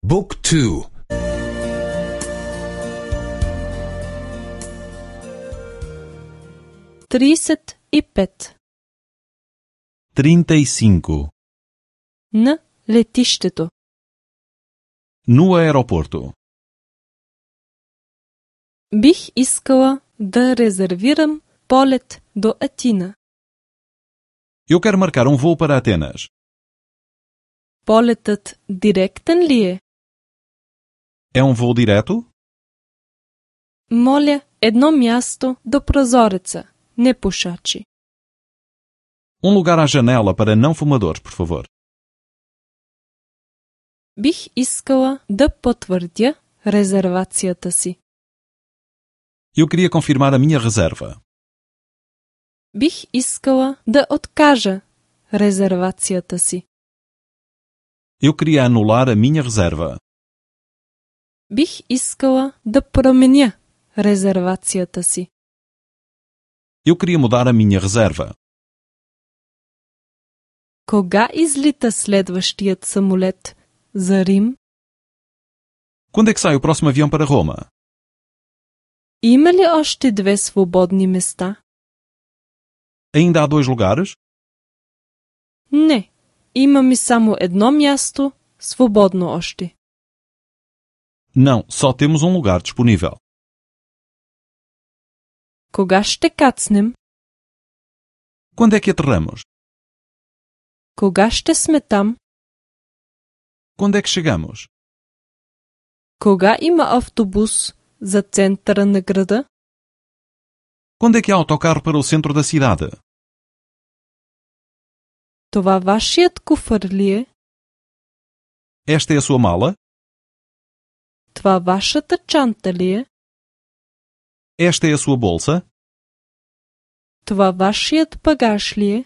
Book 2. 35. 35. На летиштето. No aeroporto. Бих искала да резервирам полет до Атина. Eu quero marcar um voo para Atenas. Полетът директен ли е? É um voo direto? Моля, едно място до прозореца, не пушачи. Um lugar à janela para não fumadores, por favor. Бих искала да потвърдя резервацията си. Eu queria confirmar a minha reserva. Бих искала да откажа резервацията си. Eu queria anular a minha reserva. Бих искала да променя резервацията си. Eu queria mudar a minha reserva. Кога излита следващият самолет за Рим? Quando é que sai o próximo avião para Roma? Има ли още 2 свободни места? Ainda há 2 lugares? Не, имаме само едно място свободно още. Não, só temos um lugar disponível. Кога ще кацнем? Quando é que aterramos? Кога ще сме там? Quando é que chegamos? Кога има автобус за центъра на града? Quando é que há autocarro para o centro da cidade? Това вашият куфър ли е? Esta é a sua mala? Това вашата чанта ли е? Esta é a sua bolsa? Това вашият багаж ли е?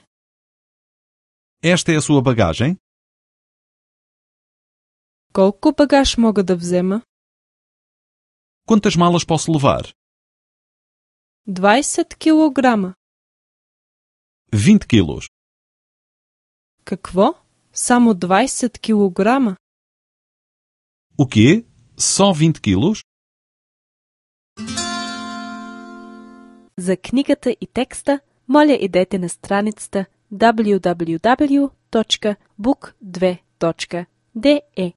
Esta é a sua bagagem? Колко багаж мога да взема? Quantas malas posso levar? 20 килограма. 20 quilos. Какво? Само 20 килограма? O quê? Só 20 quilos? За книгата и текста, моля идете на страницата www.book2.de